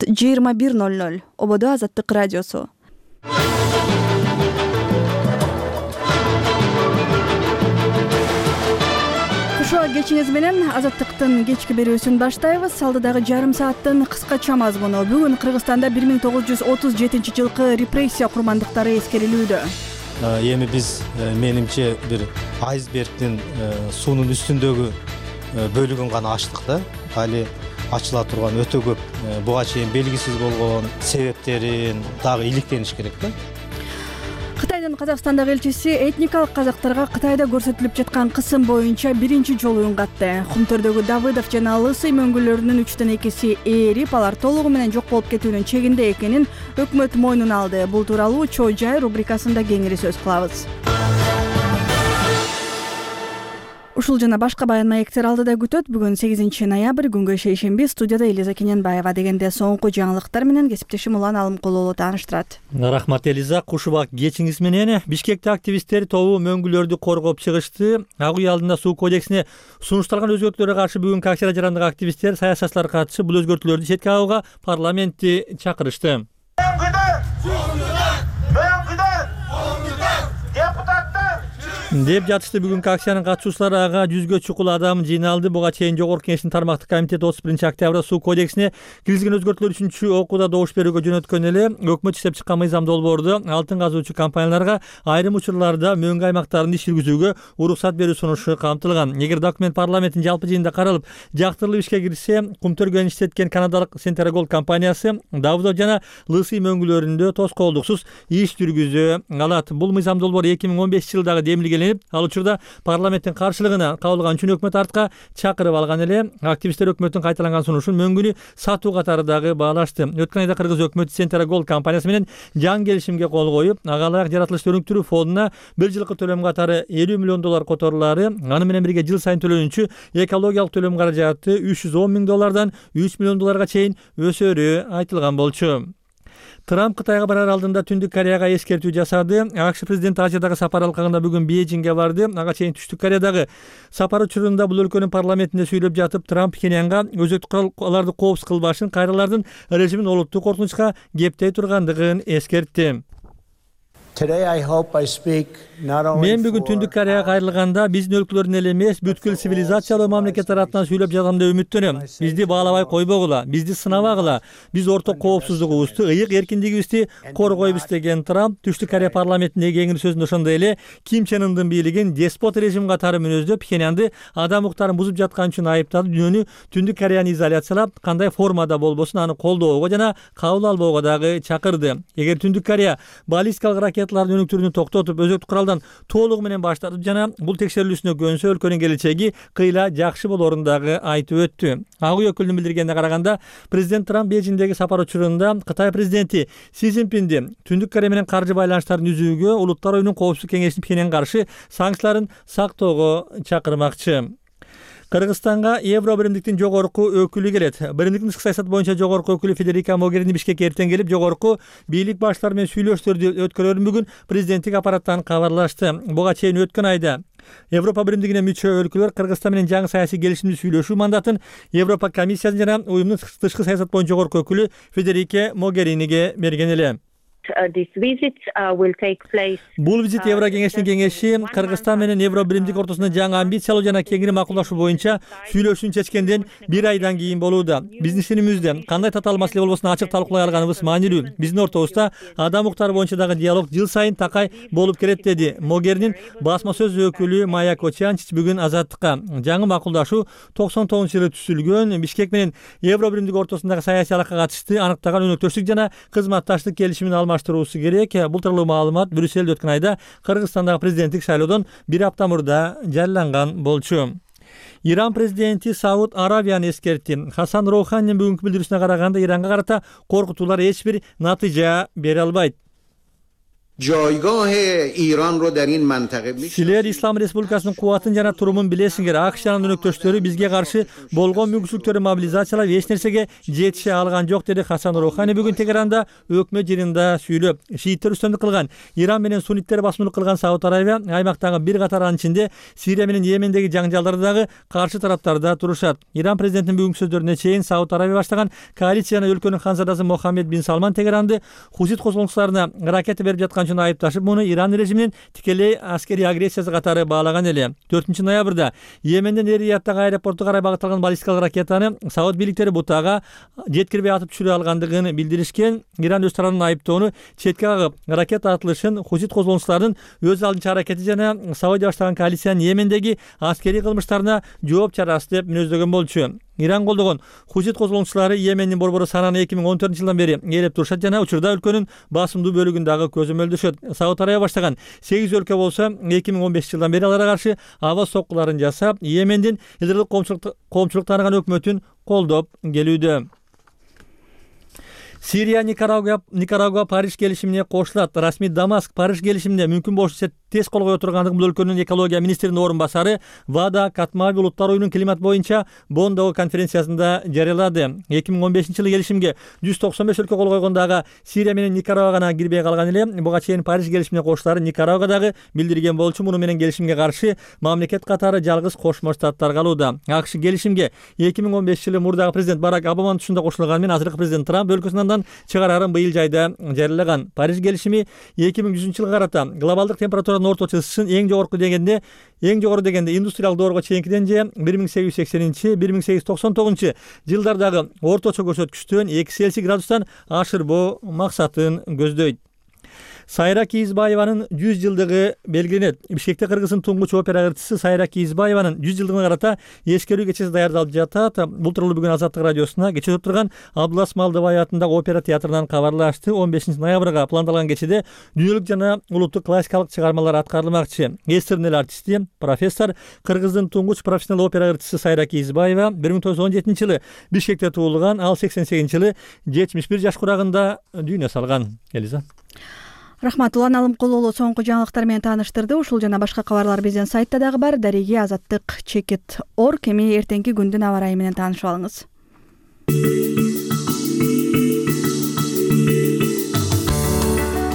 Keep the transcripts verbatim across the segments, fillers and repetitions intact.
саат жыйырма бир ноль ноль. Ободо Азаттык радиосу. Ошо кечиңиз менен Азаттыктын кечки берүүсүн баштайбыз. Алдыдагы жарым сааттын кыскача мазмуну. Бүгүн Кыргызстанда бир миң тогуз жүз отуз жетинчи жылкы репрессия курмандыктары эскерилүүдө. Эми биз менимче бир айсбергдин суунун үстүндөгү бөлүгүн гана ачтык да. Али ачыла турган өтө көп буга чейин белгисиз болгон себептерин дагы иликтениш керек да. Кытайдын Казакстандагы элчиси этникалык казактарга Кытайда көрсөтүлүп жаткан кысым боюнча биринчи жолу үн катты. Кумтөрдөгү Давыдов жана Лысый мөңгүлөрүнүн үчтөн экиси ээрип, алар толугу менен жок болуп кетүүнүн чегинде экенин өкмөт мойнуна алды. Бул тууралуу Чоо Жай рубрикасында кеңири сөз кылабыз. Ушул жана башка баян маектер алдыда күтөт. Бүгүн сегизинчи ноябрь, күнгө шейшемби. Студияда Элиза Кененбаева. Дегенде соңку жаңылыктар менен кесиптешим Улан Алымкулуулу тааныштырат. Рахмат Элиза. Кушубак кечиңиз менен. Бишкекте активисттер тобу мөңгүлөрдү коргоп чыгышты. Ак үй алдында суу кодексине сунушталган өзгөртүүлөргө каршы бүгүнкү акчада жарандык активисттер, саясатчылар катышып, бул өзгөртүүлөрдү четке агууга парламентти чакырышты. деп жатышты. Бүгүнкү акциянын катышуучулары ага жүзгө чукул адам жыйналды. Буга чейин Жогорку Кеңештин тармактык комитети отуз биринчи октябрда суу кодексине киргизилген өзгөртүүлөр үчүнчү окууда добуш берүүгө жөнөткөн эле. Өкмөт иштеп чыккан мыйзам долбоордо алтын казуучу компанияларга айрым учурларда мөңгү аймактарында иш жүргүзүүгө уруксат берүү сунушу камтылган. Эгер документ парламенттин жалпы жыйынында каралып, жактырылып ишке кирсе, Кумтөр иштеткен канадалык Centergold компаниясы Давыдов жана Лысый мөңгүлөрүндө тоскоолдуксуз иш жүргүзө алат. Бул мыйзам долбоор эки миң он бешинчи жылдагы демилгеленип, ал учурда парламенттин каршылыгына кабылган үчүн өкмөт артка чакырып алган эле. Активисттер өкмөттүн кайталанган сунушун мөңгүнү сатуу катары дагы баалашты. Өткөн айда Кыргыз өкмөтү Centergold компаниясы менен жаңы келишимге кол коюп, ага ылайык жаратылышты өнүктүрүү фондуна бир жылкы төлөм катары элүү миллион доллар которулары, аны менен бирге жыл сайын төлөнүүчү экологиялык төлөм каражаты үч жүз он миң доллардан үч миллион долларга чейин өсөрү айтылган болчу. Трамп Кытайга барар алдында Түндүк Кореяга эскертүү жасады. АКШ президенти Азиядагы сапар алкагында бүгүн Бейжиңге барды. Ага чейин Түштүк Кореядагы сапар учурунда бул өлкөнүн парламентинде сүйлөп жатып, Трамп Пхеньянга өзөктүк куралдарды коопсуз кылбашын, кайралардын режимин олуттук коркунучка кептей тургандыгын эскертти. Мен бүгүн Түндүк Кореяга кайрылганда биздин өлкөлөрдүн эле эмес, бүткүл цивилизациялуу мамлекеттер атынан сүйлөп жатам деп үмүттөнөм. Бизди баалабай койбогула, бизди сынабагыла, биз орток коопсуздугубузду, ыйык эркиндигибизди коргойбуз деген Трамп Түштүк Корея парламентиндеги кеңири сөзүндө ошондой эле Ким Чен Ындын бийлигин деспот режим катары мүнөздөп, Пхеньянды адам укуктарын бузуп жаткан үчүн айыптады. Дүйнөнү Түндүк Кореяны изоляциялап, кандай формада болбосун аны колдоого жана кабыл албоого дагы чакырды. Эгер Түндүк Корея баллистикалык ракеталардын өнүктүрүүнү токтотуп, өзөктүк куралдан толугу менен баш тартып жана бул текшерилүүсүнө көнсө, өлкөнүн келечеги кыйла жакшы болорун дагы айтып өттү. Ак үй өкүлүнүн билдиргенине караганда, президент Трамп Бейжиңдеги сапар учурунда Кытай президенти Си Цзиньпинди Түндүк Корея менен каржы байланыштарын үзүүгө, Улуттар оюнун коопсуздук кеңешинин Пхеньянга каршы санкцияларын сактоого чакырмакчы. Кыргызстанга Евро биримдиктин жогорку өкүлү келет. Биримдиктин тышкы саясат боюнча жогорку өкүлү Федерика Могерини Бишкекке эртең келип, жогорку бийлик баштары менен сүйлөшүүлөрдү өткөрөрүн бүгүн президенттик аппараттан кабарлашты. Буга чейин өткөн айда Европа биримдигине мүчө өлкөлөр Кыргызстан менен жаңы саясий келишимди сүйлөшүү мандатын Европа комиссиясы жана уюмдун тышкы саясат боюнча жогорку өкүлү Федерика Могериниге берген эле. Бул визит Евро кеңешинин кеңеши Кыргызстан менен Евро биримдик ортосунда жаңы амбициялуу жана кеңири макулдашуу боюнча сүйлөшүүнү чечкенден бир айдан кийин болууда. Биздин ишенимибизде кандай татаал маселе болбосун ачык талкуулай алганыбыз маанилүү. Биздин ортобузда адам укуктары боюнча дагы диалог жыл сайын такай болуп келет, деди Могеринин басма сөз өкүлү Майя Кочанчич бүгүн Азаттыкка. Жаңы макулдашуу токсон тогузунчу жылы түзүлгөн. Бишкек менен Евро биримдик ортосундагы саясий алакка катышты аныктаган өнөктөштүк жана кызматташтык келишимин алмаштыруусу керек. Бул тууралуу маалымат Брюссельде өткөн айда Кыргызстандагы президенттик шайлоодон бир апта мурда жарыяланган болчу. Иран президенти Сауд Арабияны эскертти. Хасан Роуханинин бүгүнкү билдирүүсүнө караганда, Иранга карата коркутуулар эч бир натыйжа бере албайт. جایگاه ایران رو در این منطقه Силер Ислам Республикасынын кубатын жана турумун билесиңер. АКШ жанын өнөктөштөрү бизге каршы болгон мүмкүнчүлүктөрдү мобилизациялап эч нерсеге жетише алган жок, деди Хасан Роухани бүгүн Тегеранда өкмөт жыйынында сүйлөп. Шииттер үстөмдүк кылган, Иран менен сунниттер басымдуулук кылган Сауд Арабия аймактагы бир катар анын ичинде Сирия менен Йемендеги жаңжалдарда дагы каршы тараптарда турушат. Иран президентинин бүгүнкү сөздөрүнө чейин Сауд Арабия баштаган коалиция жана өлкөнүн ханзадасы Мохаммед бин Салман Тегеранды Хусит козголуңчуларына ракета берип жаткан үчүн айыпташып, муну Иран режиминин тикелей аскерий агрессиясы катары баалаган эле. төртүнчү ноябрда Йеменден Эр-Рияттагы аэропорту карай багытталган баллистикалык ракетаны Сауд бийликтери бутага жеткирбей атып түшүрө алгандыгын билдиришкен. Иран өз тарабынан айыптоону четке кагып, ракета атылышын Хусит козголуңчуларынын өз алдынча аракети жана Саудия баштаган коалициянын Йемендеги аскерий кылмыштарына жооп чарасы деп мүнөздөгөн болчу. Иран колдогон Хусит козголуңчулары Йемендин борбору Сананы эки миң он төртүнчү жылдан бери ээлеп турушат жана учурда өлкөнүн басымдуу бөлүгүн дагы көзөмөлдөшөт. Сауд Арабия баштаган сегиз өлкө болсо эки миң он бешинчи жылдан бери аларга каршы аба соккуларын жасап, Йемендин илгырлык коомчулук тааныган өкмөтүн колдоп келүүдө. Сирия Никарагуа Никарагуа Париж келишимине кошулат. Расмий Дамаск Париж келишимине мүмкүн болушунча тез кол кое тургандыгын бул өлкөнүн экология министринин орун басары Вада Катмави улуттар уюмунун климат боюнча Бондогу конференциясында жарыялады. эки миң он бешинчи жылы келишимге жүз токсон беш өлкө кол койгондагы Сирия менен Никарагуа гана кирбей калган эле. Буга чейин Париж келишимине кошулары Никарагуа дагы билдирген болчу. Муну менен келишимге каршы мамлекет катары жалгыз Кошмо Штаттар калууда. АКШ келишимге эки миң он бешинчи жылы мурдагы президент Барак Обаманын тушунда кошулган менен азыркы президент Трамп өлкөсүнөн чыгарарын быйыл жайда жарыялаган. Париж келишими эки миң жүзүнчү жылга карата глобалдык температуранын орточо ысышын эң жогорку дегенде эң жогору дегенде индустриалдык доорго чейинкиден же бир миң сегиз жүз сексенинчи — бир миң сегиз жүз токсон тогузунчу жылдардагы орточо көрсөткүчтөн эки Цельсий градустан ашырбоо максатын көздөйт. Сайра Кийизбаеванын жүз жылдыгы белгиленет. Бишкекте Кыргыздын туңгуч опера ырчысы Сайра Кийизбаеванын жүз жылдыгына карата эскерүү кечеси даярдалып жатат. Бул тууралуу бүгүн Азаттык радиосуна кече өтүп турган Абдулас Малдыбай атындагы опера театрынан кабарлашты. он бешинчи ноябрга пландалган кечеде дүйнөлүк жана улуттук классикалык чыгармалар аткарылмакчы. Эстернел артисти, профессор, Кыргыздын туңгуч профессионал опера ырчысы Сайра Кийизбаева бир миң тогуз жүз он жетинчи жылы Бишкекте туулган. Ал сексен сегизинчи жылы жетимиш бир жаш курагында дүйнө салган. Элиза. Рахмат. Улан Алымкулуулу соңку жаңылыктар менен тааныштырды. Ушул жана башка кабарлар биздин сайтта дагы бар. Дареги азаттык чекит точка орг. Эми эртеңки күндүн аба ырайы менен таанышып алыңыз.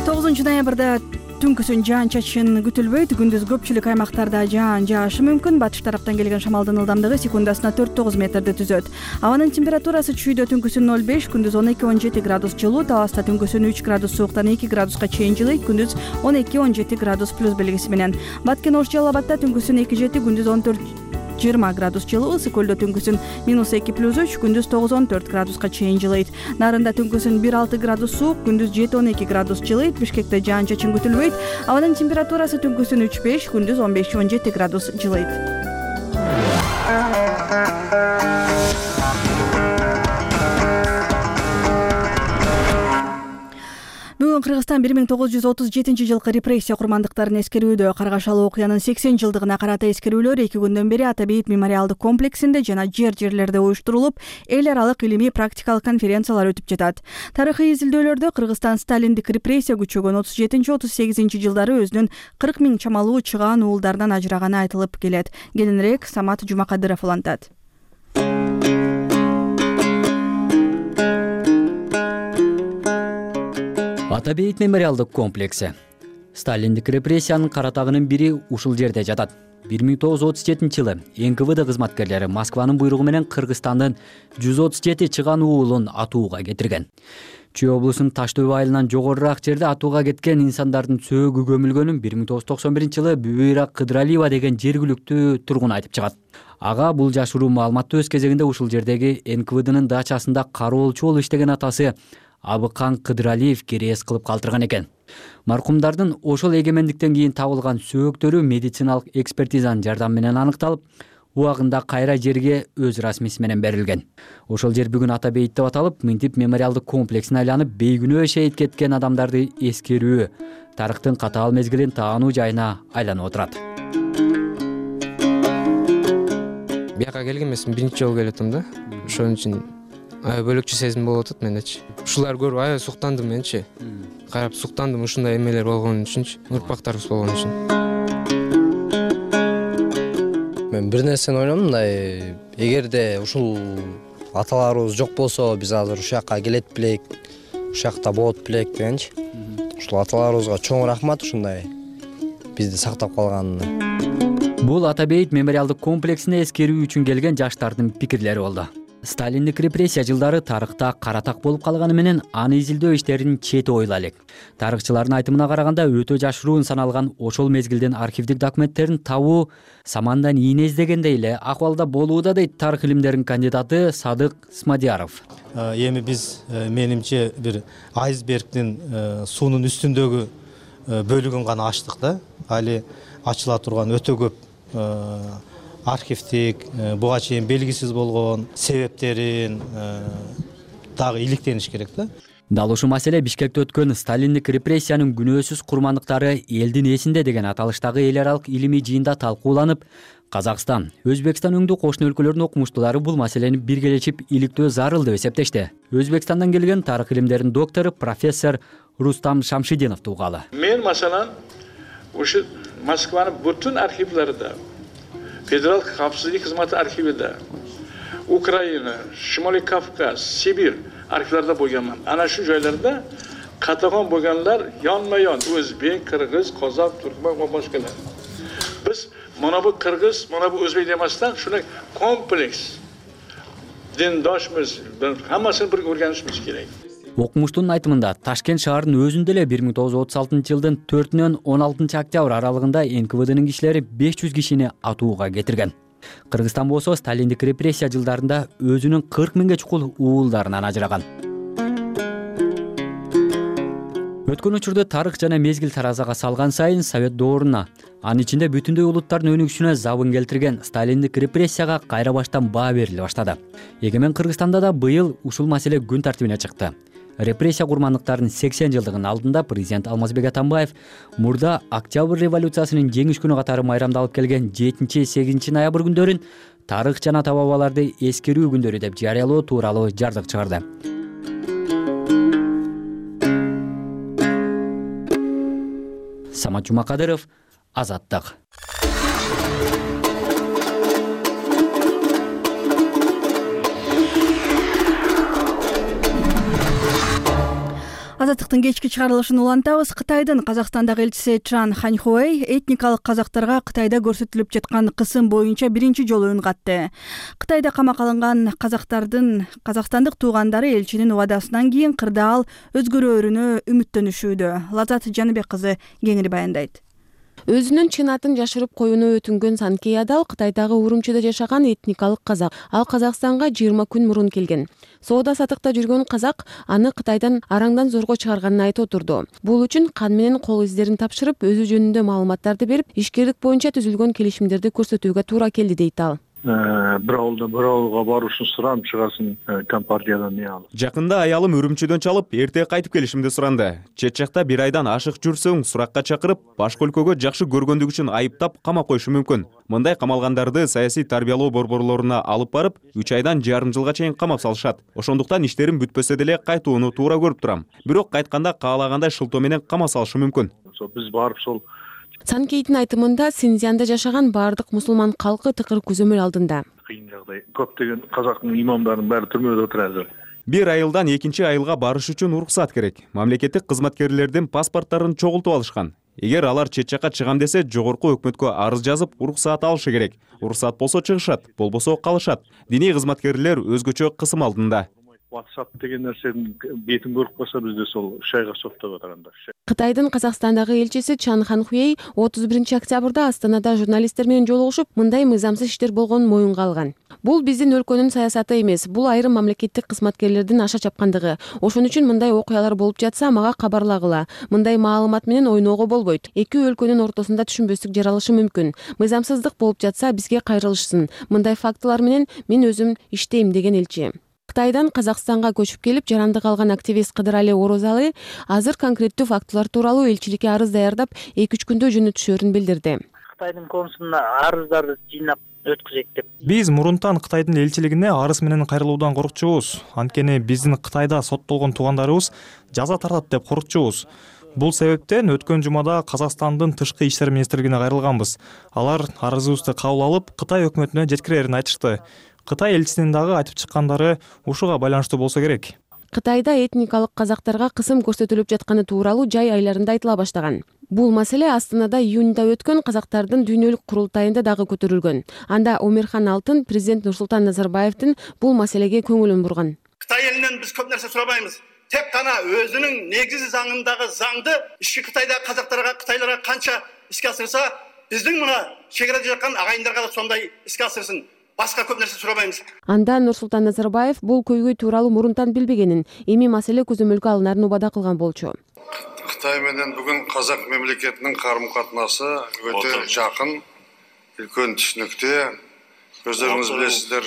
тогузунчу ноябрда түнкүсүн жаан чачышын күтүлбөйт. Күндүз көпчүлүк аймактарда жаан жаашы мүмкүн. Батыш тараптан келген шамалдын ылдамдыгы секундасына төрт тогуз метрди түзөт. Абанын температурасы чүйдө түнкүсүн ноль беш, күндүз он эки он жети градус жылуу, табаста түнкүсүн үч градус сууктан эки градуска чейин жылыйт, күндүз он эки он жети градус плюс белгиси менен. Баткен Ош Жалал Абадда түнкүсүн эки жети, күндүз он төрт жыйырма градус жылуу, Ысык көлдө түнкүсүн минус эки плюс үч, күндүз тогуз он төрт градуска чейин жылыйт. Нарында түнкүсүн бир алты градус суук, күндүз жети он эки градус жылыйт. Бишкекте жаан чачын күтүлбөйт. Абанын температурасы түнкүсүн үч беш, күндүз он беш он жети градус жылыйт. Бүгүн Кыргызстан бир миң тогуз жүз отуз жетинчи жылкы репрессия курмандыктарын эскерүүдө. Каргашалы окуянын сексен жылдыгына карата эскерүүлөр эки күндөн бери Ата Бейит мемориалдык комплексинде жана жер жерлерде уюштурулуп, эл аралык илимий практикалык конференциялар өтүп жатат. Тарыхый изилдөөлөрдө Кыргызстан сталиндик репрессия күчөгөн отуз жетинчи отуз сегизинчи жылдары өзүнүн кырк миң чамалуу чыгаан уулдарынан ажыраганы айтылып келет. Кийинирээк Самат Жумакадыров улантат. Ата Бейит мемориалдык комплекси. Сталиндик репрессиянын каратагынын бири ушул жерде жатат. бир миң тогуз жүз отуз жетинчи жылы эн ка вэ дэ кызматкерлери Москванын буйругу менен Кыргызстандын жүз отуз жети чыгаан уулун атууга кетирген. Чүй облусунун Таш дөбө айылынан жогорураак жерде атууга кеткен инсандардын сөөгү көмүлгөнүн бир миң тогуз жүз токсон биринчи жылы Бүбүйра Кыдыралиева деген жергиликтүү тургун айтып чыгат. Ага бул жашыруу маалыматты өз кезегинде ушул жердеги эн ка вэ дэнин дачасында кароолчу болуп иштеген атасы Абыкан Кыдыралиев керээс кылып калтырган экен. Маркумдардын ошол эгемендиктен кийин табылган сөөктөрү медициналык экспертизанын жардамы менен аныкталып, убагында кайра жерге өз расмиси менен берилген. Ошол жер бүгүн Ата Бейит деп аталып, мынтип мемориалдык комплексине айланып, бейгүнөө шейит кеткен адамдарды эскерүү, тарыхтын катаал мезгилин таануу жайына айланып отурат. Бияка келген эмесмин, биринчи жолу келип атам да. Ошон үчүн аябай бөлөкчө сезим болуп атат мендечи. Ушуларды көрүп аябай суктандым менчи. Карап суктандым ушундай эмелер болгон үчүнчү, урпактарыбыз болгон үчүн. Мен бир нерсени ойлондум, мындай эгерде ушул аталарыбыз жок болсо, биз азыр ушул жакка келет белек, ушул жакта болот белек дегенчи. Ушул аталарыбызга чоң рахмат ушундай бизди сактап калганына. Бул Ата бейит мемориалдык комплексине эскерүү үчүн келген жаштардын пикирлери болду. Сталиндик репрессия жылдары тарыхта каратак болуп калганы менен аны изилдөө иштерин чети ойла элек. Тарыхчылардын айтымына караганда өтө жашыруун саналган ошол мезгилдин архивдик документтерин табуу самандан ийне издегендей эле акыбалда болууда, дейт тарых илимдеринин кандидаты Садык Смадияров. Эми биз менимче бир айсбергдин суунун үстүндөгү бөлүгүн гана ачтык да. Али ачыла турган өтө көп архивдик, буга чейин белгисиз болгон себептерин дагы иликтениш керек да. Дал ушул маселе Бишкекте өткөн Сталиндик репрессиянын күнөөсүз курмандыктары элдин эсинде деген аталыштагы эл аралык илимий жыйында талкууланып, Казакстан, Өзбекстан өңдүү кошуна өлкөлөрдүн окумуштуулары бул маселени биргелешип иликтөө зарыл деп эсептешти. Өзбекстандан келген тарых илимдеринин доктору профессор Рустам Шамшидинов тугалы. Мен маселен ушу Москванын бүтүн архивларында, Федерал капсыздык кызматы архивиде, Украина, Шимолий Кавказ, Сибирь архивларында болгонмун. Ана шу жайларда катаган болгонлар yonma-yon өзбек, кыргыз, казак, түркмөн ва башкалар. Биз мына бу кыргыз, мына бу өзбек демастан шуны комплекс диндошмуз, хаммасын бир o'rganishimiz керек. Окумуштунун айтымында Ташкент шаарынын өзүндө эле бир миң тогуз жүз отуз алтынчы жылдын төртүнөн он алтынчы октябрь аралыгында эн ка вэ дынын кишилери беш жүз кишини атууга кетирген. Кыргызстан болсо Сталиндик репрессия жылдарында өзүнүн кырк миңге чукул уулдарынан ажыраган. Өткөн учурда тарых жана мезгил таразага салган сайын Совет дооруна, анын ичинде бүтүндөй улуттардын өнүгүшүнө забын келтирген Сталиндик репрессияга кайра баштан баа бериле баштады. Эгемен Кыргызстанда да быйыл ушул маселе күн тартибине чыкты. Репрессия курмандыктарынын сексен жылдыгынын алдында президент Алмазбек Атамбаев мурда Октябрь революциясынын жеңиш күнү катары майрамдалып келген жетинчи сегизинчи ноябрь күндөрүн тарых жана ата бабаларды эскерүү күндөрү деп жарыялоо тууралуу жардык чыгарды. Самат Жумакадыров, Азаттык. Азаттыктын кечки чыгарылышын улантабыз. Кытайдын Казакстандагы элчиси Чжан Ханьхуэй этникалык казактарга Кытайда көрсөтүлүп жаткан кысым боюнча биринчи жолу үн катты. Кытайда камакка алынган казактардын казакстандык туугандары элчинин убадасынан кийин кырдаал өзгөрөөрүнө үмүттөнүшүүдө. Лазат Жаныбек кызы кеңири баяндайт. Өзүнүн чын атын жашырып коюуну өтүнгөн Санкей Адал Кытайдагы Урумчиде жашаган этникалык казак. Ал Казакстанга жыйырма күн мурун келген. Соода сатыкта жүргөн казак аны Кытайдан араңдан зорго чыгарганын айтып отурду. Бул үчүн кан менен кол издерин тапшырып, өзү жөнүндө маалыматтарды берип, ишкерлик боюнча түзүлгөн келишимдерди көрсөтүүгө туура келди, дейт ал. бир ауылдан бир ауылга барышын сурам чыгасын компартиядан не алып. Жакында аялым Үрүмчүдөн чалып, эрте кайтып келишимди суранды. Чет жакта бир айдан ашык жүрсөң, суракка чакырып, башка өлкөгө жакшы көргөндүгү үчүн айыптап камап коюшу мүмкүн. Мындай камалгандарды саясий тарбиялоо борборлоруна алып барып, үч айдан жарым жылга чейин камап салышат. Ошондуктан иштерим бүтпөсө деле кайтууну туура көрүп турам. Бирок кайтканда каалагандай шылтоо менен камап салышы мүмкүн. Биз барып сол Санкейдин айтымында Синьцзянда жашаган баардык мусулман калкы тыкыр көзөмөл алдында. Кыйын жагдай. Көптөгөн казактын имамдарынын баары түрмөдө отур азыр. Бир айылдан экинчи айылга барыш үчүн уруксат керек. Мамлекеттик кызматкерлердин паспорттарын чогултуп алышкан. Эгер алар чет жакка чыгам десе, жогорку өкмөткө арыз жазып, уруксат алышы керек. Уруксат болсо чыгышат, болбосо калышат. Диний кызматкерлер өзгөчө кысым алдында. WhatsApp деген нерсенин бетин көрүп калса, бизде сол шайга соктоп атырганда. Кытайдын Казакстандагы элчиси Чжан Ханьхуэй отуз биринчи октябрда Астанада журналисттер менен жолугушуп, мындай мыйзамсыз иштер болгонун моюнга алган. Бул биздин өлкөнүн саясаты эмес, бул айрым мамлекеттик кызматкерлердин аша чапкандыгы. Ошон үчүн мындай окуялар болуп жатса, мага кабарлагыла. Мындай маалымат менен ойноого болбойт. Эки өлкөнүн ортосунда түшүнбөстүк жаралышы мүмкүн. Мыйзамсыздык болуп жатса, бизге кайрылышсын. Мындай фактылар менен мен өзүм иштейм, деген элчи. Кытайдан Казакстанга көчүп келип жарандык алган активист Кыдырали Орозалы азыр конкреттүү фактылар тууралуу элчиликке арыз даярдап, эки үч күндө жөнөтүшөрүн билдирди. Кытайдын консулуна арыздарды жыйнап өткүзөйт деп. Биз мурунтан Кытайдын элчилигине арыз менен кайрылуудан коркчубуз. Анткени биздин Кытайда соттолгон туугандарыбыз жаза тартат деп коркчубуз. Бул себептен өткөн жумада Казакстандын тышкы иштер министрлигине кайрылганбыз. Алар арызыбызды кабыл алып, Кытай өкмөтүнө жеткирерин айтышты. Кытай элчисинин дагы айтып чыккандары ушуга байланыштуу болсо керек. Кытайда этникалык казактарга кысым көрсөтүлүп жатканы тууралуу жай айларында айтыла баштаган. Бул маселе Астанада июнда өткөн казактардын дүйнөлүк курултайында дагы көтөрүлгөн. Анда Омирхан Алтын президент Нурсултан Назарбаевдин бул маселеге көңүлүн бурган. Кытай элинен биз көп нерсе сурабайбыз. Тек гана өзүнүн негизи заңындагы заңды ишки Кытайда казактарга, кытайларга канча иске асырса, биздин мына чегерада жаткан агайындарга да сондай иске асырсын. Башка көп нерсе сурабайбыз. Анда Нурсултан Назарбаев бул көйгөй тууралуу мурунтан билбегенин, эми маселе көзөмөлгө алынарын убада кылган болчу. Кытай менен бүгүн казак мемлекетинин карым-катнасы өтө жакын, үлкөн түшүнүктүү. Өздөрүңүз билесиздер,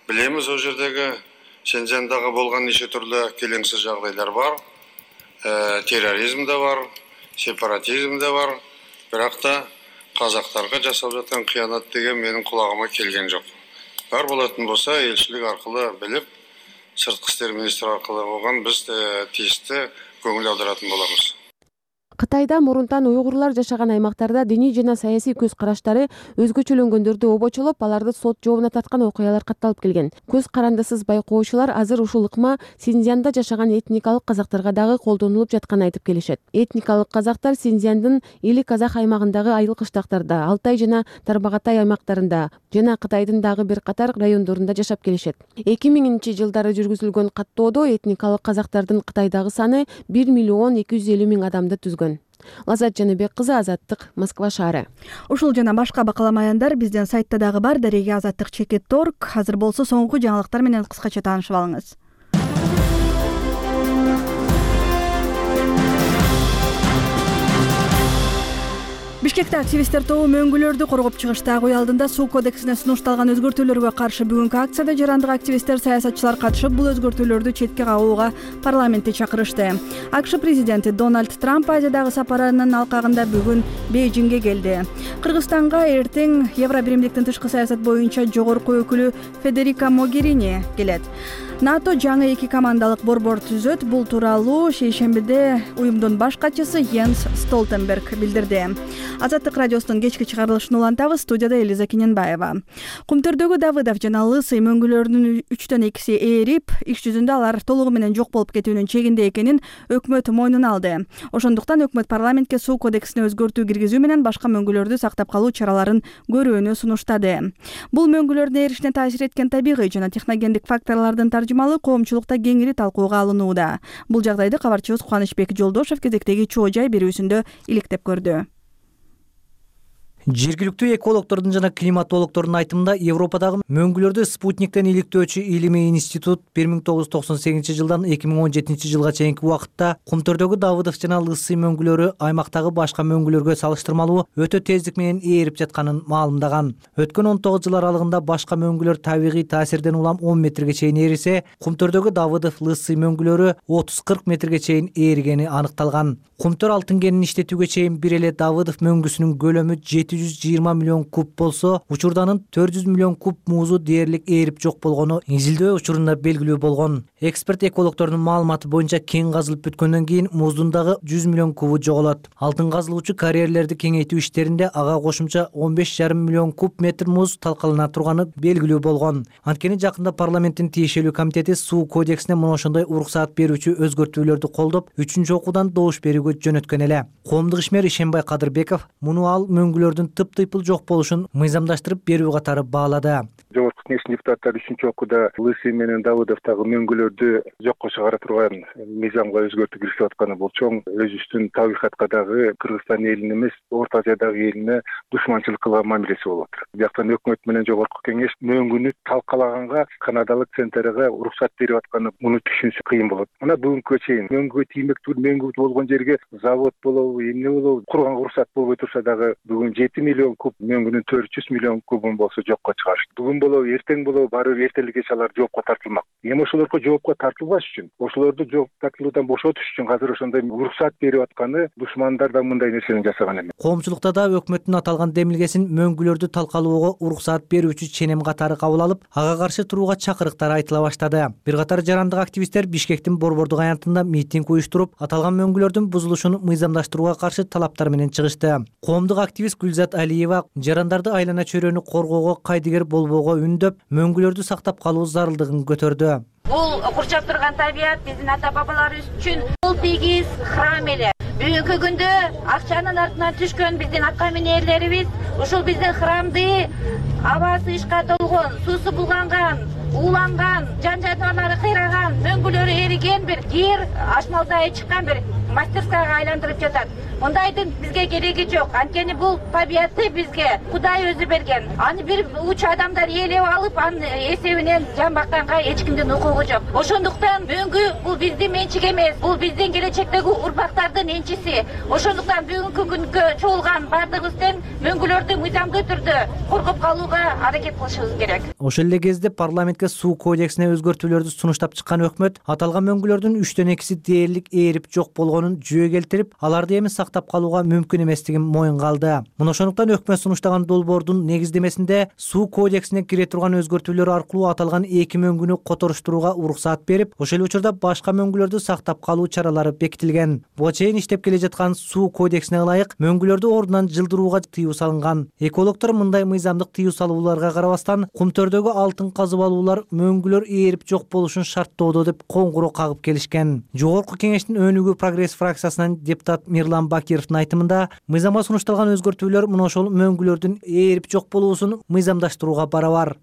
билебиз ол жердеги Шенжендагы болгон нече түрлүү келеңсиз жагдайлар бар. Терроризм да бар, сепаратизм да бар. Бирок да казактарга жасалып жаткан кыянат деген менин кулагыма келген жок. Бар болатын болса, элчилик аркылуу билип, сырткы иштер министри аркылуу болгон биз тийиштүү көңүл аударатын болобуз. Кытайда мурунтан уйгурлар жашаган аймактарда диний жана саясий көз караштары өзгөчөлөнгөндөрдү обочолоп, аларды сот жообуна тарткан окуялар катталып келген. Көз карандысыз байкоочулар азыр ушул ыкма Синьцзянда жашаган этникалык казактарга дагы колдонулуп жатканын айтып келишет. Этникалык казактар Синьцзяндын Или Казак аймагындагы айыл кыштактарда, Алтай жана Тарбагатай аймактарында жана Кытайдын дагы бир катар райондорунда жашап келишет. эки миңинчи жылдары жүргүзүлгөн каттоодо этникалык казактардын Кытайдагы саны бир миллион эки жүз элүү миң адамды түзгөн. Лазат Жаныбек кызы, Азаттык, Москва шаары. Ушул жана башка бакалама аяндар биздин сайтта дагы бар. Дареге азаттык чекит точка орг. Азыр болсо соңку жаңылыктар менен кыскача таанышып алыңыз. Бишкекте активисттер тобу мөңгүлөрдү коргоп чыгышты. Ак үй алдында суу кодексине сунушталган өзгөртүүлөргө каршы бүгүнкү акцияда жарандык активисттер, саясатчылар катышып, бул өзгөртүүлөрдү четке кагууга парламентти чакырышты. АКШ президенти Дональд Трамп Азиядагы сапарынын алкагында бүгүн Бейжиңге келди. Кыргызстанга эртең Евро биримдиктин тышкы саясат боюнча жогорку өкүлү Федерика Могерини келет. НАТО жаңы эки командалык борбор түзөт. Бул тууралуу шейшембиде уюмдун баш катчысы Йенс Столтенберг билдирди. Азаттык радиосунун кечки чыгарылышын улантабыз. Студияда Элиза Кененбаева. Кумтөрдөгү Давыдов жана Лысый мөңгүлөрүнүн үчтөн экиси ээрип, иш жүзүндө алар толугу менен жок болуп кетүүнүн чегинде экенин өкмөт мойнуна алды. Ошондуктан өкмөт парламентке суу кодексине өзгөртүү киргизүү менен башка мөңгүлөрдү сактап калуу чараларын көрүүнү сунуштады. Бул мөңгүлөрдүн эришине таасир эткен табигый жана техногендик факторлордун таржымалы коомчулукта кеңири талкууга алынууда. Бул жагдайды кабарчыбыз Кубанычбек Жолдошев кезектеги чоо жай берүүсүндө иликтеп көрдү. Жергиликтүү экологдордун жана климатологдордун айтымында Европадагы мөңгүлөрдү спутниктен иликтөөчү илимий институт бир миң тогуз жүз токсон сегизинчи жылдан эки миң он жетинчи жылга чейинки убакытта Кумтөрдөгү Давыдов жана Лысый мөңгүлөрү аймактагы башка мөңгүлөргө салыштырмалуу өтө тездик менен ээрип жатканын маалымдаган. Өткөн он тогуз жыл аралыгында башка мөңгүлөр табигый таасирден улам он метрге чейин ээрисе, Кумтөрдөгү Давыдов Лысый мөңгүлөрү отуз кырк метрге чейин ээригени аныкталган. Кумтөр алтын кенин иштетүүгө чейин бир эле Давыдов мөңгүсүнүн көлөмү жети жүз жыйырма миллион куб болсо, учурданын төрт жүз миллион куб муузу дээрлик ээрип жок болгону изилдөө учурунда белгилүү болгон. Эксперт экологдордун маалыматы боюнча кен казылып бүткөндөн кийин муздун дагы жүз миллион кубу жоголот. Алтын казылуучу карьерлерди кеңейтүү иштеринде ага кошумча он беш жарым миллион куб метр муз талкалана турганы белгилүү болгон. Анткени жакында парламенттин тиешелүү комитети суу кодексине мына ошондой уруксаат берүүчү өзгөртүүлөрдү колдоп, үчүнчү окуудан добуш берүүгө жөнөткөн эле. Коомдук ишмер Ишенбай Кадырбеков муну ал мөңгүлөрдүн тыптыйпыл жок болушун мыйзамдаштырып берүү катары баалады. Жогорку кеңештин депутаттары үчүнчү окууда Лысый менен Давыдовдагы мөңгүлөрдү жокко чыгара турган мыйзамга өзгөртүү киргизип атканы бул чоң өзүбүздүн табигатка дагы Кыргызстан элине эмес, Орто Азиядагы элине душманчылык кылган мамилеси болуп атат. Бияктан өкмөт менен жогорку кеңеш мөңгүнү талкалаганга канадалык центрга уруксат берип атканы муну түшүнүш кыйын болот. Мына бүгүнкү чейин мөңгүгө тиймектүү мөңгү болгон жерге завод болобу, эмне болобу, курган уруксат болбой турса дагы бүгүн жети миллион куб мөңгүнүн төрт жүз миллион кубун болсо жокко чыгарышты. Бүгүн болобу эртең болобу баары бир эртелик кеч алар жоопко тартылмак. Эми ошолорго жоопко тартылбаш үчүн, ошолорду жооп тартылуудан бошотуш үчүн азыр ошондой уруксат берип атканы душмандар да мындай нерсени жасаган эмес. Коомчулукта да өкмөттүн аталган демилгесин мөңгүлөрдү талкалоого уруксаат берүүчү ченем катары кабыл алып, ага каршы турууга чакырыктар айтыла баштады. Бир катар жарандык активисттер Бишкектин Борбордук аянтында митинг уюштуруп, аталган мөңгүлөрдүн бузулушун мыйзамдаштырууга каршы талаптар менен чыгышты. Коомдук активист Гүлзат Алиева жарандарды айлана чөйрөнү коргоого кайдыгер болбоого үндөп, мөңгүлөрдү сактап калуу зарылдыгын көтөрдү. Бул курчап турган табият биздин ата бабаларыбыз үчүн бул тегиз храм эле. Бүгүнкү күндө акчанын артынан түшкөн биздин атка минерлерибиз ушул биздин храмды абасы ишка толгон, суусу булганган, ууланган, жан жаныбарлары кыйраган, мөңгүлөрү эриген бир жер ашмалдай чыккан бир мастерскаяга айландырып жатат. Мындайдын бизге кереги жок. Анткени бул табиятты бизге Кудай өзү берген. Аны бир уч адамдар ээлеп алып, анын эсебинен жан бакканга эч кимдин укугу жок. Ошондуктан мөңгү бул биздин менчик эмес, бул биздин келечектеги урмактардын энчиси. Ошондуктан бүгүнкү күнгө чогулган бардыгыбыз тең мөңгүлөрдү мыйзамдуу түрдө коргоп калууга аракет кылышыбыз керек. Ошол эле кезде парламентке суу кодексине өзгөртүүлөрдү сунуштап чыккан өкмөт аталган мөңгүлөрдүн үчтөн экиси дээрлик ээрип жок болгонун жүйө келтирип, аларды эми сактап калууга мүмкүн эместигин моюнга алды. Мына ошондуктан өкмөт сунуштаган долбоордун негиздемесинде суу кодексине кире турган өзгөртүүлөр аркылуу аталган эки мөңгүнү которуштурууга уруксаат берип, ошол учурда башка мөңгүлөрдү сактап калуу чаралары бекитилген. Буга чейин иштеп келе жаткан суу кодексине ылайык мөңгүлөрдү ордунан жылдырууга тыюу салынган. Экологдор мындай мыйзамдык тыюу салууларга карабастан кумтөрдөгү алтын казып алуулар мөңгүлөр ээрип жок болушун шарттоодо деп коңгуроо кагып келишкен. Жогорку кеңештин өнүгүү прогресс фракциясынан депутат Мирлан Бакировдун айтымында мыйзамга сунушталган өзгөртүүлөр мына ошол мөңгүлөрдүн ээрип жок болуусун мыйзамдаштырууга барабар.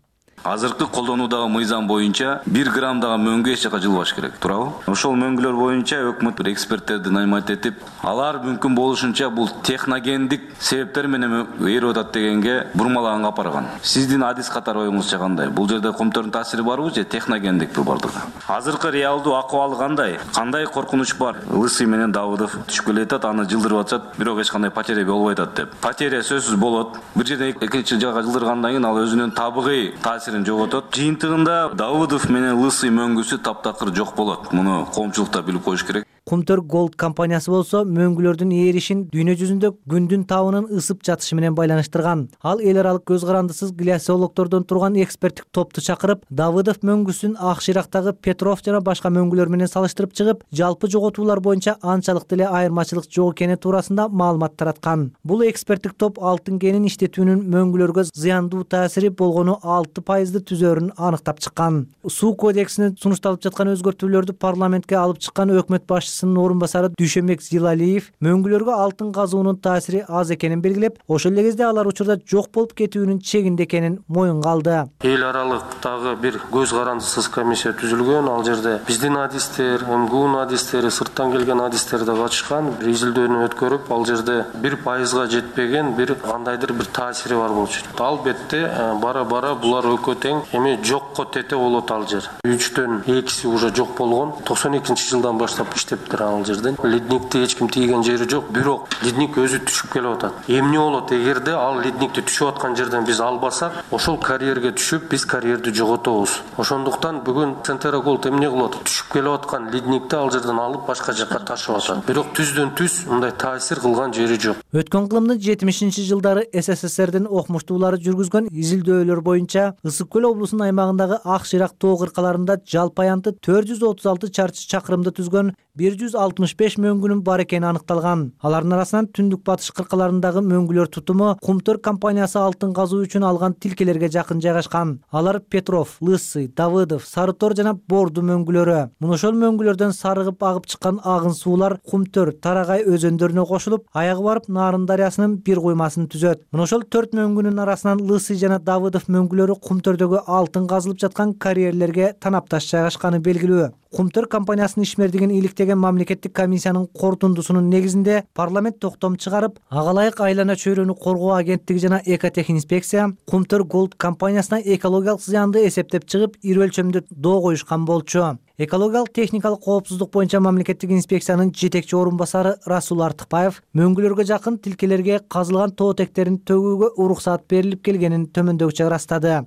Азыркы колдонуудагы мыйзам боюнча бир граммдагы мөңгү эч жака жылбаш керек, туурабы? Ошол мөңгүлөр боюнча өкмөт бир эксперттерди нанимать этип, алар мүмкүн болушунча бул техногендик себептер менен ээрип атат дегенге бурмалаганга апарган. Сиздин адис катары оюңузча кандай? Бул жерде комтордун таасири барбы же техногендикпи бардыгы? Азыркы реалдуу акыбалы кандай? Кандай коркунуч бар? Лысый менен Давыдов түшүп келе жатат, аны жылдырып атышат, бирок эч кандай потеря болбой атат деп. Потеря сөзсүз болот. Бир жерден экинчи жака жылдыргандан кийин ал өзүнүн табигый таасирин жоготот. Жыйынтыгында Давыдов менен Лысый мөңгүсү таптакыр жок болот. Муну коомчулукта билип коюш керек. Кумтөр Gold компаниясы болсо мөңгүлөрдүн ээришин дүйнө жүзүндө күндүн табынын ысып жатышы менен байланыштырган. Ал эл аралык көз карандысыз глиосиологдордон турган эксперттик топту чакырып, Давыдов мөңгүсүн Ак Шырактагы Петров жана башка мөңгүлөр менен салыштырып чыгып, жалпы жоготуулар боюнча анчалык деле айырмачылык жок экени туурасында маалымат тараткан. Бул эксперттик топ алтын кенин иштетүүнүн мөңгүлөргө зыяндуу таасири болгону алты пайызды түзөөрүн аныктап чыккан. Суу кодексине сунушталып жаткан өзгөртүүлөрдү парламентке алып чыккан өкмөт башчысы орун басары Дүйшөнбек Зилалиев мөңгүлөргө алтын казуунун таасири аз экенин белгилеп, ошол эле кезде алар учурда жок болуп кетүүнүн чегинде экенин моюнга алды. Эл аралыктагы бир көз карандысыз комиссия түзүлгөн. Ал жерде биздин адистер, МГУнун адистери, сырттан келген адистер да катышкан. Бир изилдөөнү өткөрүп, ал жерде бир пайызга жетпеген бир кандайдыр бир таасири бар болчу. Албетте бара-бара булар экөө тең эми жокко тете болот ал жер. үчтөн экиси уже жок болгон. токсон экинчи жылдан баштап иштеп ал жерден ледникти эч ким тийген жери жок, бирок ледник өзү түшүп келип атат. Эмне болот эгерде ал ледникти түшүп аткан жерден биз албасак, ошол карьерге түшүп биз карьерди жоготобуз. Ошондуктан бүгүн Центера Gold эмне кылат? Түшүп келип аткан ледникти ал жерден алып башка жака ташып атат. Бирок түздөн түз мындай таасир кылган жери жок. Өткөн кылымдын жетимишинчи жылдары СССРдин окумуштуулары жүргүзгөн изилдөөлөр боюнча Ысык көл облусунун аймагындагы Ак Шырак тоо кыркаларында жалпы аянты төрт жүз отуз алты чарчы чакырымды түзгөн бир жүз алтымыш беш мөңгүнүн бар экени аныкталган. Алардын арасынан түндүк батыш кыркаларындагы мөңгүлөр тутуму Кумтөр компаниясы алтын казуу үчүн алган тилкелерге жакын жайгашкан. Алар Петров, Лысый, Давыдов, Сарытор жана Борду мөңгүлөрү. Мына ошол мөңгүлөрдөн сарыгып агып чыккан агын суулар Кумтөр, Тарагай өзөндөрүнө кошулуп, аягы барып Нарын дарыясынын бир куймасын түзөт. Мына ошол төрт мөңгүнүн арасынан Лысый жана Давыдов мөңгүлөрү Кумтөрдөгү алтын казылып жаткан карьерлерге танапташ жайгашканы белгилүү. Кумтөр компаниясынын ишмердигин иликтеген мамлекеттик комиссиянын корутундусунун негизинде парламент токтом чыгарып, ага ылайык айлана чөйрөнү коргоо агенттиги жана Экотехинспекция Кумтөр Gold компаниясына экологиялык зыянды эсептеп чыгып, ири өлчөмдө доо коюшкан болчу. Экологиялык техникалык коопсуздук боюнча мамлекеттик инспекциянын жетекчи орун басары Расул Артыкбаев мөңгүлөргө жакын тилкелерге казылган тоотектерин төгүүгө уруксаат берилип келгенин төмөндөгүчө ырастады.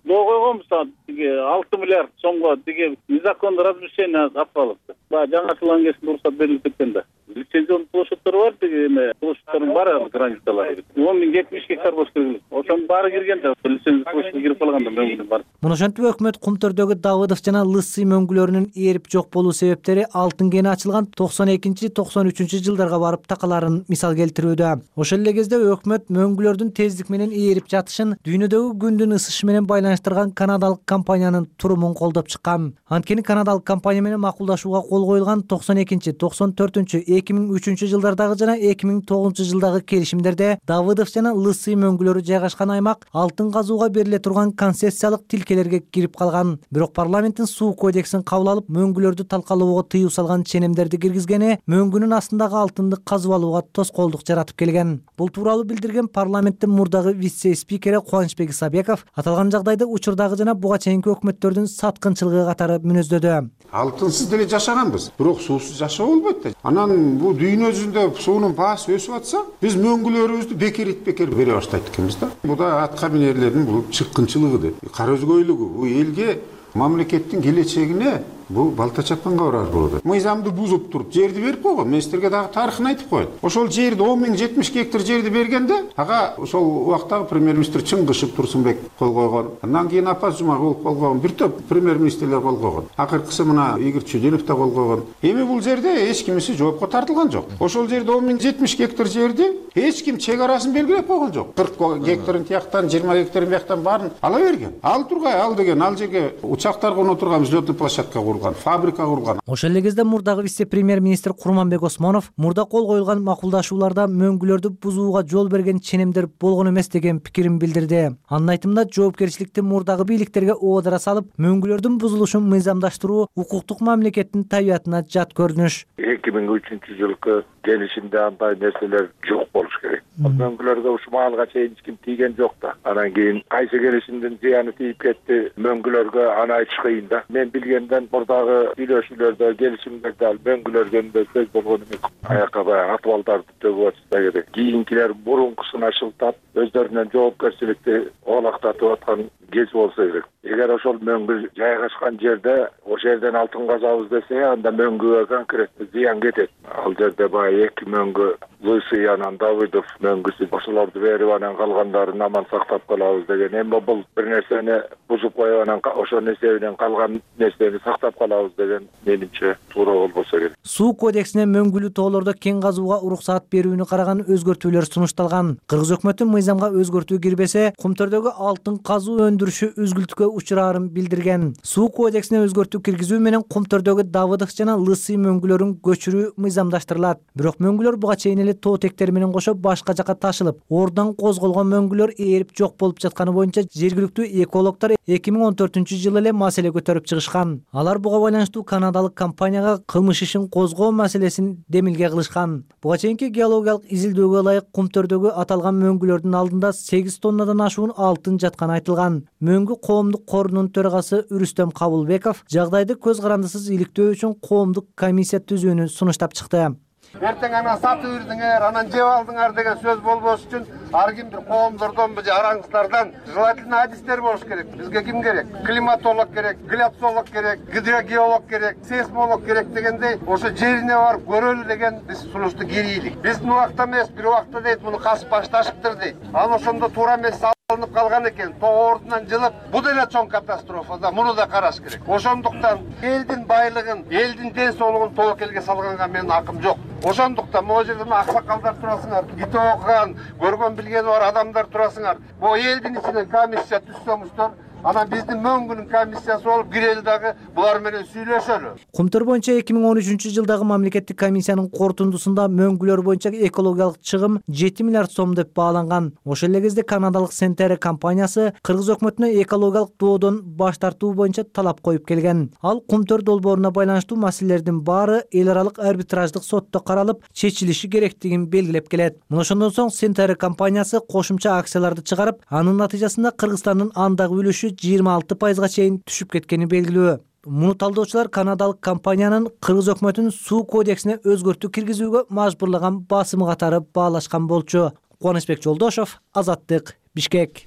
доо койгонбуз тиги алты миллиард сомго тиги незаконный размещение асфальтты. Баягы жаңыртылган кезде уруксат берилип кеткен да. Лицензион площадьтар бар, тиги эме площадьтардын баары границалары. он миң жетимиш гектар болуш керек. Ошонун баары кирген да, лицензия площадьга кирип калганда мөңгүнүн бар. Муну ошентип өкмөт Кумтөрдөгү Давыдов жана Лысый мөңгүлөрүнүн ээрип жок болуу себептери алтын кени ачылган токсон экинчи токсон үчүнчү жылдарга барып такаларын мисал келтирүүдө. Ошол эле кезде өкмөт мөңгүлөрдүн тездик менен ээрип жатышын дүйнөдөгү күндүн ысышы менен байланыштырган канадалык компаниянын турумун колдоп чыккан. Анткени канадалык компания менен макулдашууга кол коюлган токсон экинчи токсон төртүнчү эки миң үчүнчү жылдардагы жана эки миң тогузунчу жылдагы келишимдерде Давыдов жана Лысый мөңгүлөрү жайгашкан аймак алтын казууга бериле турган концессиялык тилкелерге кирип калган. Бирок парламенттин суу кодексин кабыл алып, мөңгүлөрдү талкалоого тыюу салган ченемдерди киргизгени мөңгүнүн астындагы алтынды казып алууга тоскоолдук жаратып келген. Бул тууралуу билдирген парламенттин мурдагы вице-спикери Кубанычбек Исабеков аталган жагдайды учурдагы жана буга чейинки өкмөттөрдүн саткынчылыгы катары мүнөздөдү. Алтынсыз деле жашаганбыз, бирок суусуз жашоо болбойт да. Анан бул дүйнө жүзүндө суунун баасы өсүп атса, биз мөңгүлөрүбүздү бекерит бекер бере баштайт экенбиз да. Бул да атка минерлердин бул чыккынчылыгы, кара өзгөйлүгү. Бул элге, мамлекеттин келечегине бул балта чапканга барар болот. Мыйзамды бузуп туруп жерди берип койгон. Мен силерге дагы тарыхын айтып коеюн. Ошол жерди он миң жетимиш гектар жерди бергенде, ага ошол убактагы премьер-министр Чыңгышев Турсунбек кол койгон. Андан кийин Апаз Жумагулов кол койгон. Бир топ премьер-министрлер кол койгон. Акыркысы мына Игорь Чудинов да кол койгон. Эми бул жерде эч кимиси жоопко тартылган жок. Ошол жерде он миң жетимиш гектар жерди эч ким чек арасын белгилеп койгон жок. кырк гектарын тияктан, жыйырма гектарын бияктан баарын ала берген. Ал тургай ал деген ал жерге учактар коно турган взлётный площадка курулган, фабрика курулган. Ошол эле кезде мурдагы вице-премьер-министр Курманбек Осмонов мурда кол коюлган макулдашууларда мөңгүлөрдү бузууга жол берген ченемдер болгон эмес деген пикирин билдирди. Анын айтымында жоопкерчиликти мурдагы бийликтерге оодара салып, мөңгүлөрдүн бузулушун мыйзамдаштыруу укуктук мамлекеттин табиятына жат көрүнүш. эки миң үчүнчү жылкы келишимде андай нерселер жок болуш керек. Мөңгүлөргө ушул маалга чейин эч ким тийген жок да. Анан кийин кайсы келишимдин зыяны тийип кетти, мөңгүлөргө аны айтыш кыйын да. Мен билгенден мурдагы сүйлөшүүлөрдө, келишимдерде ал мөңгүлөргө сөз болгон эмес. Аякка баягы атыбалдарды төгүп атышса керек. Кийинкилер мурункусуна шылтап, өздөрүнөн жоопкерчиликти оолактатып аткан кез болсо керек. Эгер ошол мөңгү жайгашкан жерде ошол жерден алтын казабыз десе, анда мөңгүгө конкреттүү зыян кетет. Ал жерде баягы эки мөңгү Лысый анан Давыдов мөңгүсү ошолорду берип анан калгандарын аман сактап калабыз деген. Эми бул бир нерсени бузуп коюп анан ошонун эсебинен калган нерсени сактап калабыз деген менимче туура болбосо керек. Суу кодексине мөңгүлүү тоолордо кен казууга уруксаат берүүнү караган өзгөртүүлөр сунушталган. Кыргыз өкмөтү мыйзамга өзгөртүү кирбесе, Кумтөрдөгү алтын казуу өндүрүшү үзгүлтүккө учураарын билдирген. Суу кодексине өзгөртүү киргизүү менен Кумтөрдөгү Давыдов жана Лысый мөңгүлөрүн көчүрүү мыйзамдаштырылат. Бирок мөңгүлөр буга чейин эле тоо тектери менен кошо башка жакка ташылып, ордон козголгон мөңгүлөр ээрип жок болуп жатканы боюнча жергиликтүү экологдор эки миң он төртүнчү жылы эле маселе көтөрүп чыгышкан. Алар буга байланыштуу канадалык компанияга кылмыш ишин козгоо маселесин демилге кылышкан. Буга чейинки геологиялык изилдөөгө ылайык Кумтөрдөгү аталган мөңгүлөрдүн алдында сегиз тоннадан ашуун алтын жатканы айтылган. Мөңгү коомдук корунун төрагасы Үрүстөм Кабылбеков жагдайды көз карандысыз иликтөө үчүн коомдук комиссия түзүүнү сунуштап чыкты. Эртең анан сатып үрдүңөр, анан жеп алдыңар деген сөз болбош үчүн ар кимдир коомдордон, араңыздардан желательно адистер болуш керек. Бизге ким керек? Климатолог керек, гляцолог керек, гидрогеолог керек, сейсмолог керек дегендей, ошо жерине барып көрөлү деген биз сунушту киргийлик. Биздин убакта эмес, бир убакта дейт, муну касып башташыптыр дейт. Анан ошондо туура эмес алынып калган экен, тоо ордунан жылып, бул деле чоң катастрофа да, муну да караш керек. Ошондуктан элдин байлыгын, элдин ден соолугун тобокелге салганга менин акым жок. Ошондуктан могу жерде аксакалдар турасыңар, китеп окуган, көргөн билгени бар адамдар турасыңар. Бул элдин ичинен комиссия түзсөңүздөр, анан биздин мөңгүнүн комиссиясы болуп кирели дагы булар менен сүйлөшөлү. Кумтөр боюнча эки миң он үчүнчү жылдагы мамлекеттик комиссиянын корутундусунда мөңгүлөр боюнча экологиялык чыгым жети миллиард сом деп бааланган. Ошол эле кезде канадалык Сентере компаниясы кыргыз өкмөтүнө экологиялык доодон баш тартуу боюнча талап коюп келген. Ал Кумтөр долбооруна байланыштуу маселелердин баары эл аралык арбитраждык сотто каралып чечилиши керектигин белгилеп келет. Мына ошондон соң Сентере компаниясы кошумча акцияларды чыгарып, анын натыйжасында Кыргызстандын андагы үлүшү жыйырма алты пайызга чейин түшүп кеткени белгилүү. Муну талдоочулар канадалык компаниянын Кыргыз өкмөтүнүн суу кодексине өзгөртүү киргизүүгө мажбурлаган басымы катары баалашкан болчу. Кубанычбек Жолдошов, Азаттык, Бишкек.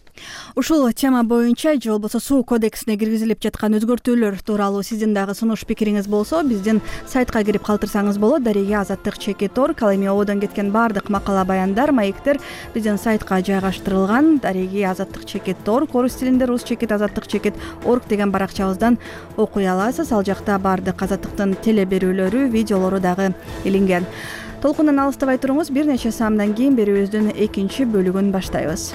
Ушул тема боюнча же болбосо суу кодексине киргизилип жаткан өзгөртүүлөр тууралуу сиздин дагы сунуш пикириңиз болсо биздин сайтка кирип калтырсаңыз болот. Дареге Азаттык чекит точка орг. Ал эми ободон кеткен баардык макала баяндар, маектер биздин сайтка жайгаштырылган. Дареге Азаттык чекит точка орг, орус тилинде рус чекит азаттык чекит точка орг деген баракчабыздан окуй аласыз. Ал жакта баардык Азаттыктын теле берүүлөрү, видеолору дагы илинген. Толкундан алыстабай туруңуз, бир нече саамдан кийин берүүбүздүн экинчи бөлүгүн баштайбыз.